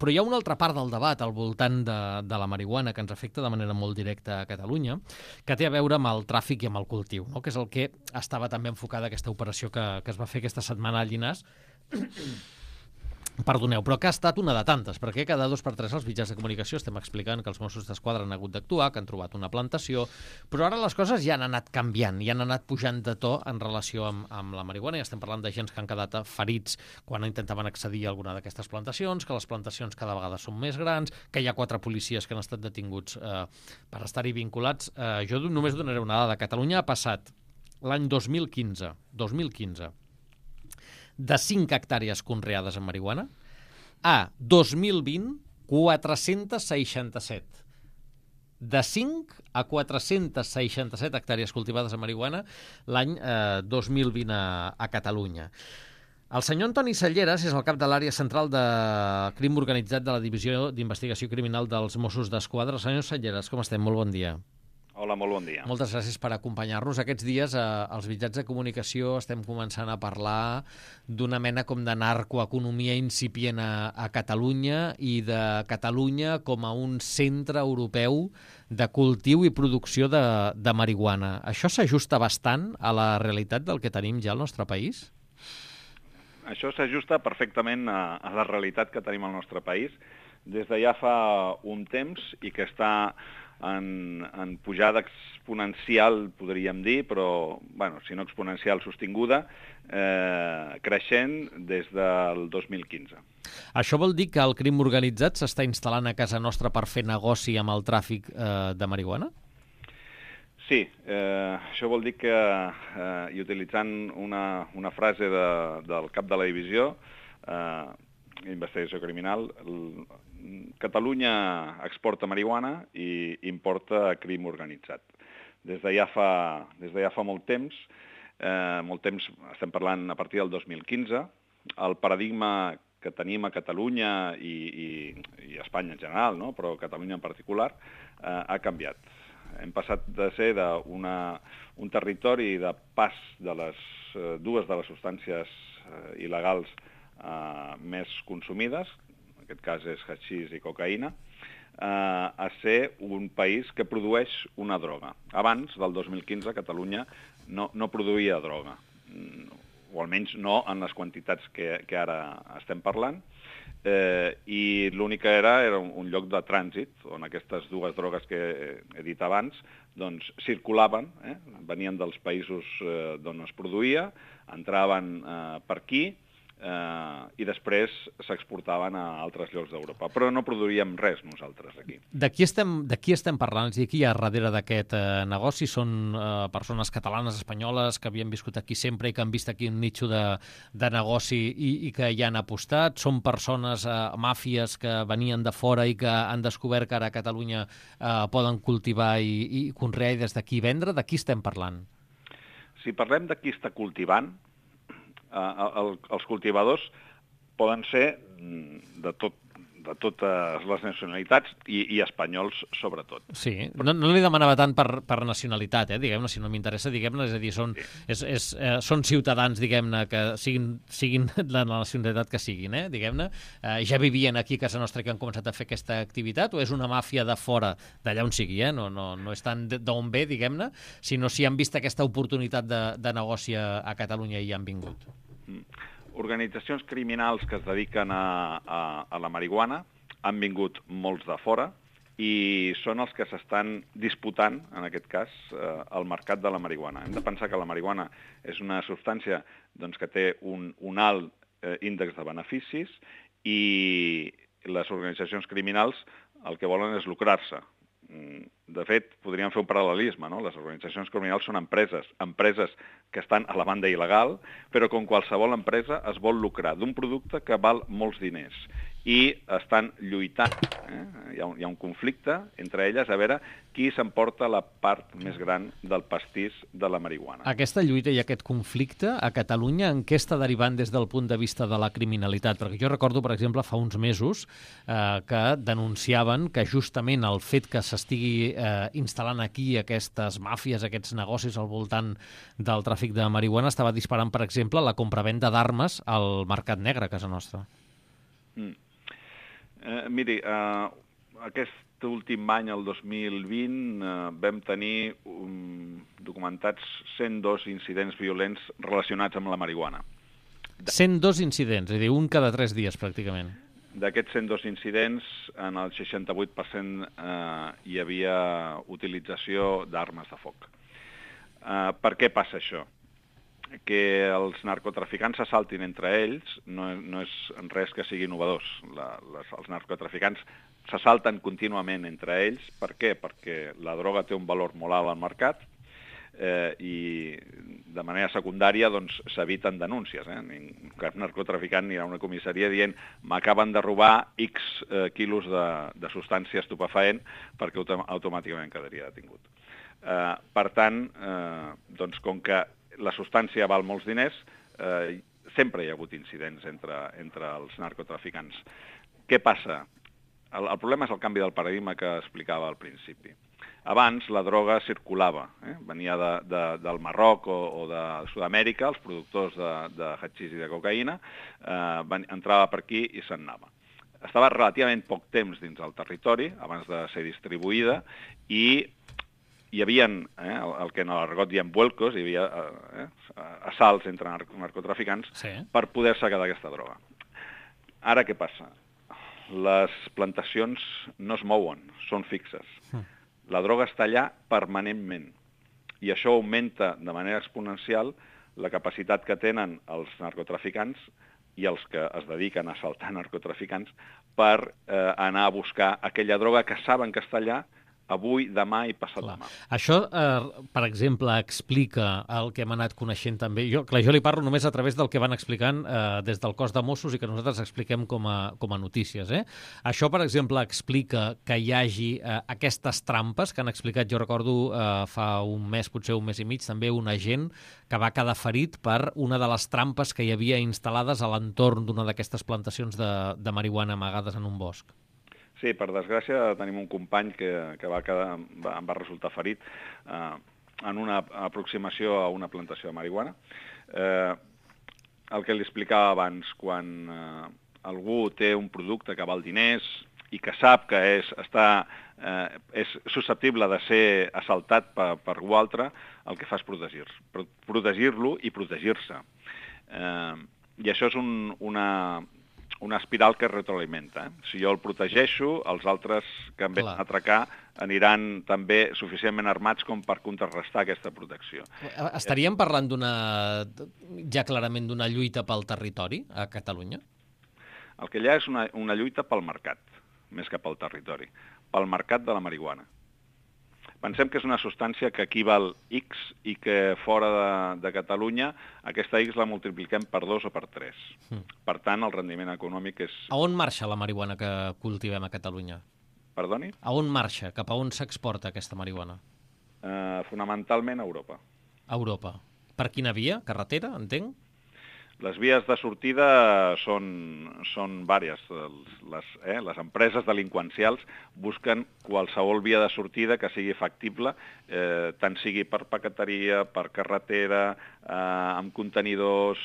Però hi ha una altra part del debat al voltant de la marihuana que ens afecta de manera molt directa a Catalunya, que té a veure amb el tràfic i amb el cultiu, no? Que és el que estava també enfocada aquesta operació que es va fer aquesta setmana a Llinars. Perdoneu, però que ha estat una de tantes, perquè cada 2 per 3 als mitjans de comunicació estem explicant que els Mossos d'Esquadra han hagut d'actuar, que han trobat una plantació, però ara les coses ja han anat canviant, ja han anat pujant de to en relació amb la marihuana, i estem parlant de gens que han quedat ferits quan intentaven accedir a alguna d'aquestes plantacions, que les plantacions cada vegada són més grans, que hi ha 4 policies que han estat detinguts per estar-hi vinculats. Jo només donaré una dada. Catalunya ha passat l'any 2015, de 5 hectàrees conreades en marihuana a 2020, 467. De 5 a 467 hectàrees cultivades en marihuana l'any 2020 a Catalunya. El senyor Antoni Salleras és el cap de l'àrea central de crim organitzat de la Divisió d'Investigació Criminal dels Mossos d'Esquadra. Senyor Salleras, com estem? Molt bon dia. Hola, molt bon dia. Moltes gràcies per acompanyar-nos. Aquests dies als mitjans de comunicació estem començant a parlar d'una mena com de narcoeconomia incipient a Catalunya i de Catalunya com a un centre europeu de cultiu i producció de marihuana. Això s'ajusta bastant a la realitat del que tenim ja al nostre país? Això s'ajusta perfectament a la realitat que tenim al nostre país des de ja fa un temps i que està en pujada exponencial, podríem dir, però, bueno, si no exponencial, sostinguda, creixent des del 2015. Això vol dir que el crim organitzat s'està instal·lant a casa nostra per fer negoci amb el tràfic de marihuana? Sí, això vol dir que, i utilitzant una frase del cap de la divisió, investigació criminal, Catalunya exporta marihuana i importa crim organitzat. Des de ja fa molt temps, estem parlant a partir del 2015, el paradigma que tenim a Catalunya i a Espanya en general, no? Però Catalunya en particular, ha canviat. Hem passat de ser un territori de pas de dues de les substàncies il·legals més consumides, en aquest cas és haixís i cocaïna, a ser un país que produeix una droga. Abans del 2015 Catalunya no produïa droga, o almenys no en les quantitats que ara estem parlant, i l'únic que era un lloc de trànsit on aquestes dues drogues que he dit abans doncs circulaven, venien dels països d'on es produïa, entraven per aquí, i després s'exportaven a altres llocs d'Europa. Però no produíem res nosaltres aquí. De qui estem parlant? És a dir, qui hi ha darrere d'aquest negoci? Són persones catalanes, espanyoles, que havien viscut aquí sempre i que han vist aquí un nitxo de negoci i que hi han apostat? Són persones, màfies, que venien de fora i que han descobert que ara a Catalunya poden cultivar i conrear i des d'aquí vendre? De qui estem parlant? Si parlem de qui està cultivant, els cultivadors poden ser de totes les nacionalitats i espanyols sobretot. Sí, no li demanava tant per nacionalitat, diguem-ne, si no m'interessa, diguem-ne, és a dir, són ciutadans, diguem-ne, que siguin la nacionalitat que siguin, diguem-ne, ja vivien aquí a casa nostra que han començat a fer aquesta activitat, o és una màfia de fora, d'allà on sigui, no és tant d'on ve, diguem-ne, sinó si han vist aquesta oportunitat de negoci a Catalunya i hi han vingut. Organitzacions criminals que es dediquen a la marihuana han vingut molts de fora i són els que s'estan disputant, en aquest cas, el mercat de la marihuana. Hem de pensar que la marihuana és una substància que té un alt índex de beneficis i les organitzacions criminals el que volen és lucrar-se. De fet, podríem fer un paral·lelisme, no? Les organitzacions criminals són empreses que estan a la banda il·legal, però com qualsevol empresa es vol lucrar d'un producte que val molts diners i estan lluitant. Hi ha un conflicte entre elles a veure qui s'emporta la part més gran del pastís de la marihuana. Aquesta lluita i aquest conflicte a Catalunya en què està derivant des del punt de vista de la criminalitat? Perquè jo recordo, per exemple, fa uns mesos que denunciaven que justament el fet que s'estigui instal·lant aquí aquestes màfies, aquests negocis al voltant del tràfic de marihuana estava disparant, per exemple, la compravenda d'armes al mercat negre a casa nostra. Miri, aquest últim any, el 2020, vam tenir documentats 102 incidents violents relacionats amb la marihuana. 102 incidents, és a dir, un cada 3 dies, pràcticament. D'aquests 102 incidents, en el 68% hi havia utilització d'armes de foc. Per què passa això? Que els narcotraficants s'assaltin entre ells no és res que sigui novedós. Els narcotraficants s'assalten contínuament entre ells. Per què? Perquè la droga té un valor molt alt al mercat i de manera secundària doncs, s'eviten denúncies. Cap narcotraficant anirà a una comissaria dient m'acaben de robar X quilos de substància estupefaent perquè automàticament quedaria detingut. Per tant, doncs, com que la substància val molts diners, sempre hi ha hagut incidents entre els narcotraficants. Què passa? El problema és el canvi del paradigma que explicava al principi. Abans la droga circulava, venia del Marroc o de Sud-amèrica, els productors de hachís i de cocaïna, entrava per aquí i se'n anava. Estava relativament poc temps dins el territori, abans de ser distribuïda, i hi havia, el que en l'argot diem vuelcos, hi havia assalts entre narcotraficants per poder-se quedar aquesta droga. Ara què passa? Les plantacions no es mouen, són fixes. La droga està allà permanentment i això augmenta de manera exponencial la capacitat que tenen els narcotraficants i els que es dediquen a assaltar narcotraficants per anar a buscar aquella droga que saben que està allà avui, demà i passat demà. Això, per exemple, explica el que hem anat coneixent també. Jo li parlo només a través del que van explicant des del cos de Mossos i que nosaltres expliquem com a notícies. Això, per exemple, explica que hi hagi aquestes trampes que han explicat, jo recordo, fa un mes, potser un mes i mig, també un agent que va quedar ferit per una de les trampes que hi havia instal·lades a l'entorn d'una d'aquestes plantacions de marihuana amagades en un bosc. Sí, per desgràcia tenim un company que em va resultar ferit en una aproximació a una plantació de marihuana. El que li explicava abans, quan algú té un producte que val diners i que sap que és susceptible de ser assaltat per algú altre, el que fa és protegir-lo i protegir-se. I això és una espiral que es retroalimenta. Si jo el protegeixo, els altres que em venen a atracar aniran també suficientment armats com per contrarrestar aquesta protecció. Estaríem parlant ja clarament d'una lluita pel territori a Catalunya? El que hi ha és una lluita pel mercat, més que pel territori, pel mercat de la marihuana. Pensem que és una substància que aquí val X i que fora de Catalunya aquesta X la multipliquem per 2 o per 3. Per tant, el rendiment econòmic és... A on marxa la marihuana que cultivem a Catalunya? Perdoni? A on marxa? Cap a on s'exporta aquesta marihuana? Fonamentalment a Europa. A Europa. Per quina via? Carretera, entenc? Les vies de sortida són vàries. Les empreses delinqüencials busquen qualsevol via de sortida que sigui factible, tant sigui per paqueteria, per carretera, amb contenidors,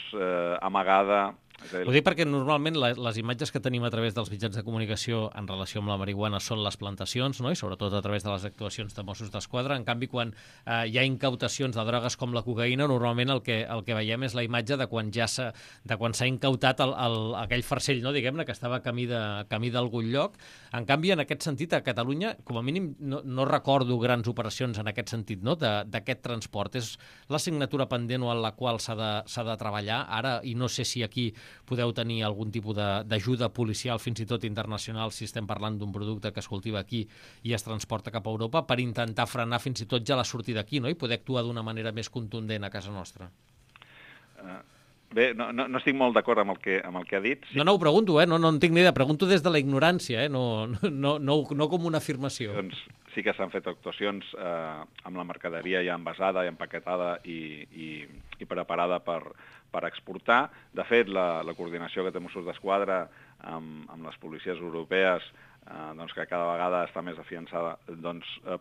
amagada... Ho dic perquè normalment les imatges que tenim a través dels mitjans de comunicació en relació amb la marihuana són les plantacions, no? I sobretot a través de les actuacions de Mossos d'Esquadra. En canvi, quan hi ha incautacions de drogues com la cocaïna, normalment el que veiem és la imatge de quan s'ha incautat aquell farcell, no? Diguem-ne, que estava camí d'algun lloc. En canvi, en aquest sentit, a Catalunya, com a mínim, no recordo grans operacions en aquest sentit, no? D'aquest transport. És l'assignatura pendent o en la qual s'ha de treballar ara, i no sé si aquí podeu tenir algun tipus d'ajuda policial, fins i tot internacional, si estem parlant d'un producte que es cultiva aquí i es transporta cap a Europa, per intentar frenar fins i tot ja la sortida aquí, no? I poder actuar d'una manera més contundent a casa nostra. Bé, no estic molt d'acord amb el que ha dit. Sí. No ho pregunto, no en tinc ni idea. Pregunto des de la ignorància, no com una afirmació. Doncs sí que s'han fet actuacions amb la mercaderia ja envasada i empaquetada i preparada per exportar. De fet, la coordinació que té Mossos d'Esquadra amb les policies europees, que cada vegada està més afiançada,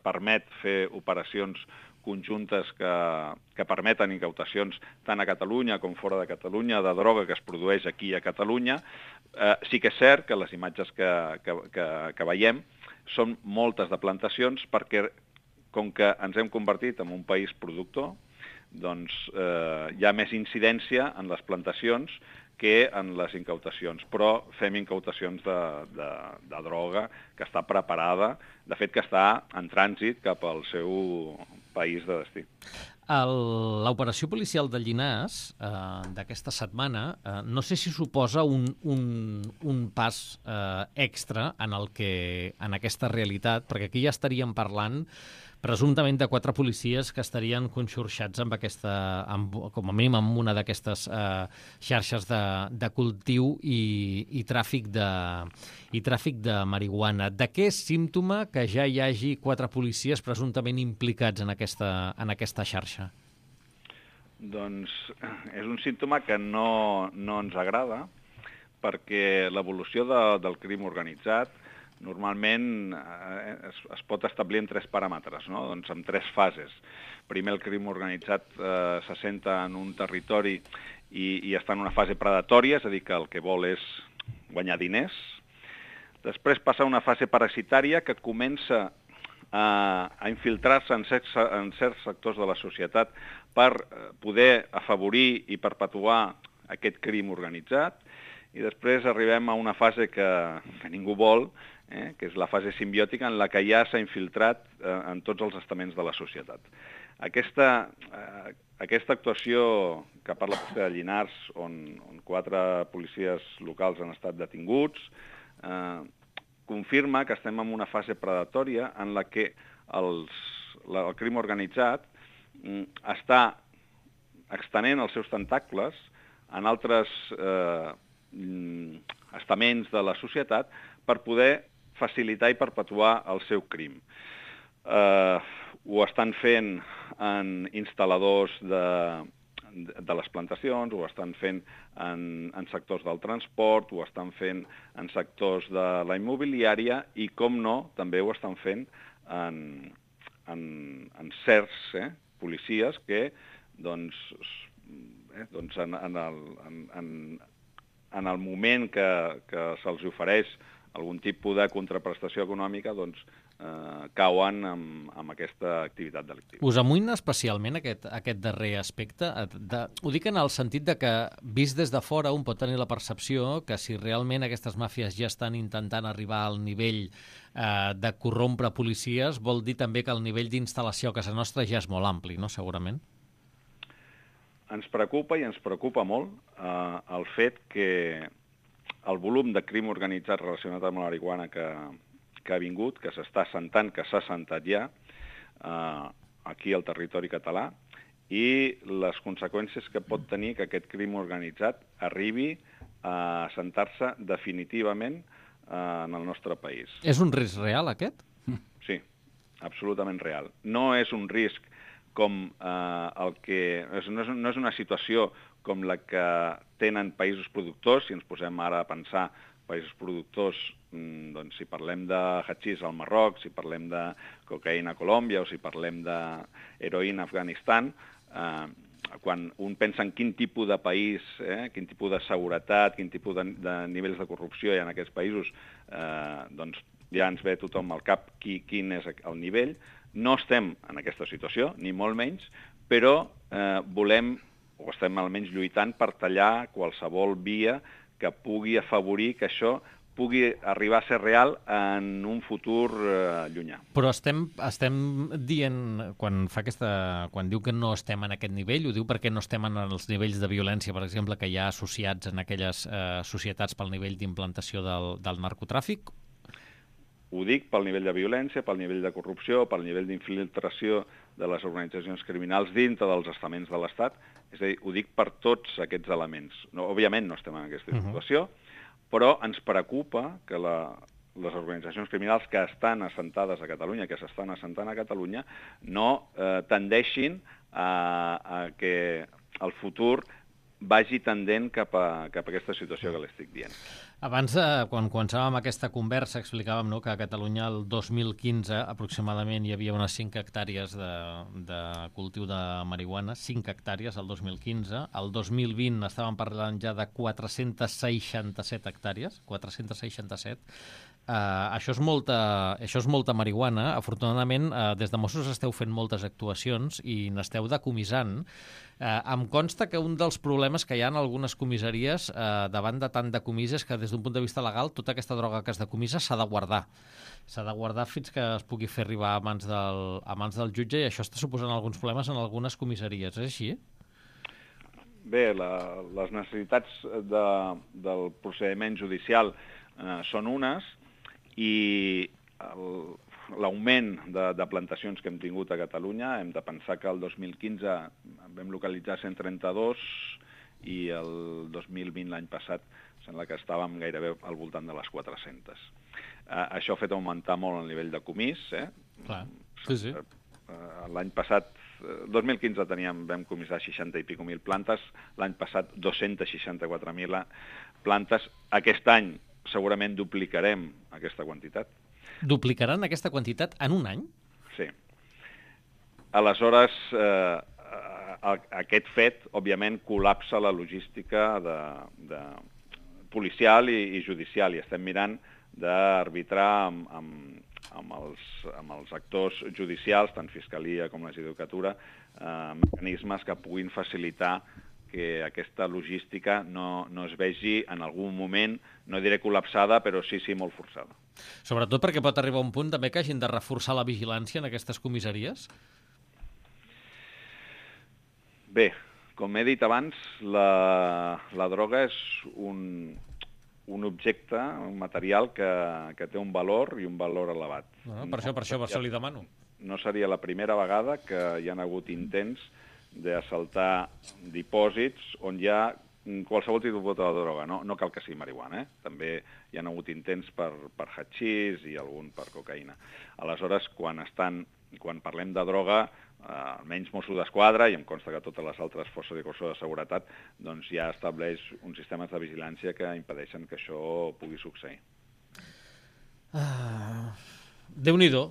permet fer operacions conjuntes que permeten incautacions tant a Catalunya com fora de Catalunya de droga que es produeix aquí a Catalunya. Sí que és cert que les imatges que veiem són moltes de plantacions perquè, com que ens hem convertit en un país productor, doncs hi ha més incidència en les plantacions que en les incautacions, però fem incautacions de droga que està preparada, de fet que està en trànsit cap al seu país de destí. L'operació policial de Llinars d'aquesta setmana no sé si suposa un pas extra en aquesta realitat, perquè aquí ja estaríem parlant presumptament de 4 policies que estarien conxorxats com a mínim amb una d'aquestes xarxes de cultiu i tràfic de marihuana. De què és símptoma que ja hi hagi 4 policies presumptament implicats en aquesta xarxa? Doncs és un símptoma que no ens agrada, perquè l'evolució del crim organitzat normalment es pot establir en 3 paràmetres, no? Doncs en 3 fases. Primer, el crim organitzat s'assenta en un territori i està en una fase predatòria, és a dir, que el que vol és guanyar diners. Després passa a una fase parasitària que comença a infiltrar-se en certs sectors de la societat per poder afavorir i perpetuar aquest crim organitzat. I després arribem a una fase que ningú vol, que és la fase simbiòtica en la que ja s'ha infiltrat en tots els estaments de la societat. Aquesta actuació que parla vostè de Llinars, on 4 policies locals han estat detinguts, confirma que estem en una fase predatòria en la que el crim organitzat està extenent els seus tentacles en altres estaments de la societat per poder facilitar i perpetuar el seu crim. Ho estan fent en instal·ladors de les plantacions, ho estan fent en sectors del transport, ho estan fent en sectors de la immobiliària i, com no, també ho estan fent en certs policies que, doncs en el moment que se'ls ofereix algun tipus de contraprestació econòmica, doncs cauen amb aquesta activitat delictiva. Us amoïna especialment aquest darrer aspecte? Ho dic en el sentit de que, vist des de fora, un pot tenir la percepció que si realment aquestes màfies ja estan intentant arribar al nivell de corrompre policies, vol dir també que el nivell d'instal·lació a casa nostra ja és molt ampli, no? Segurament. Ens preocupa i ens preocupa molt el fet que el volum de crim organitzat relacionat amb la marihuana que ha vingut, que s'està assentant, que s'ha assentat ja aquí al territori català, i les conseqüències que pot tenir que aquest crim organitzat arribi a assentar-se definitivament en el nostre país. És un risc real, aquest? Sí, absolutament real. No és un risc com el que... No és una situació com la que tenen països productors, si ens posem ara a pensar països productors, doncs si parlem de hachís al Marroc, si parlem de cocaïna a Colòmbia o si parlem d'heroïna a Afganistan, quan un pensa en quin tipus de país, quin tipus de seguretat, quin tipus de nivells de corrupció hi ha en aquests països, doncs ja ens ve tothom al cap quin és el nivell. No estem en aquesta situació, ni molt menys, però volem, o estem almenys lluitant per tallar qualsevol via que pugui afavorir que això pugui arribar a ser real en un futur llunyà. Però estem dient, quan diu que no estem en aquest nivell, ho diu perquè no estem en els nivells de violència, per exemple, que hi ha associats en aquelles societats pel nivell d'implantació del narcotràfic? Ho dic pel nivell de violència, pel nivell de corrupció, pel nivell d'infiltració de les organitzacions criminals dintre dels estaments de l'Estat. És a dir, ho dic per tots aquests elements. No, òbviament no estem en aquesta situació, però ens preocupa que les organitzacions criminals que estan assentades a Catalunya, que s'estan assentant a Catalunya, no tendeixin a que el futur vagi tendent cap a aquesta situació que l'estic dient. Abans, quan començàvem aquesta conversa, explicàvem, no, que a Catalunya el 2015 aproximadament hi havia unes 5 hectàrees de cultiu de marihuana, 5 hectàrees el 2015. El 2020 estàvem parlant ja de 467 hectàrees, 467. Això és molta marihuana. Afortunadament, des de Mossos esteu fent moltes actuacions i n'esteu decomissant. Em consta que un dels problemes que hi ha en algunes comissaries davant de tant decomís és que des d'un punt de vista legal tota aquesta droga que es decomissa s'ha de guardar. S'ha de guardar fins que es pugui fer arribar a mans del jutge, i això està suposant alguns problemes en algunes comissaries. És així? Bé, les necessitats del procediment judicial són unes, i l'augment de plantacions que hem tingut a Catalunya, hem de pensar que el 2015 vam localitzar 132 i el 2020, l'any passat, sembla que estàvem gairebé al voltant de les 400. Això ha fet augmentar molt el nivell de comís. Clar. Sí. L'any passat, 2015 vam comissar 60 i pico mil plantes, l'any passat 264.000 plantes. Aquest any segurament duplicarem aquesta quantitat. Duplicaran aquesta quantitat en un any? Sí. Aleshores, aquest fet, òbviament, col·lapsa la logística policial i judicial, i estem mirant d'arbitrar amb els actors judicials, tant Fiscalia com la Judicatura, mecanismes que puguin facilitar que aquesta logística no es vegi en algun moment, no diré col·lapsada, però sí molt forçada. Sobretot perquè pot arribar un punt també que hagin de reforçar la vigilància en aquestes comissaries? Bé, com he dit abans, la droga és un objecte, un material que té un valor i un valor elevat. Per això li demano. No seria la primera vegada que hi ha hagut intents d'assaltar dipòsits on hi ha qualsevol tipus de droga. No cal que sigui marihuana, també hi ha hagut intents per hatxís i algun per cocaïna. Aleshores, quan parlem de droga, almenys Mossos d'Esquadra, i em consta que totes les altres forces i cossos de seguretat, doncs ja estableix uns sistemes de vigilància que impedeixen que això pugui succeir. Déu-n'hi-do,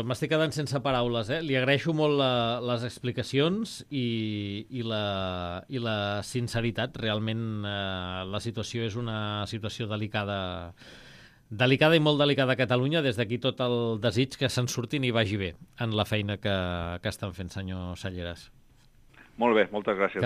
m'estic quedant sense paraules. Li agraeixo molt les explicacions i la sinceritat. Realment la situació és una situació delicada i molt delicada a Catalunya. Des d'aquí tot el desig que se'n surtin i vagi bé en la feina que estan fent, senyor Salleras. Molt bé, moltes gràcies.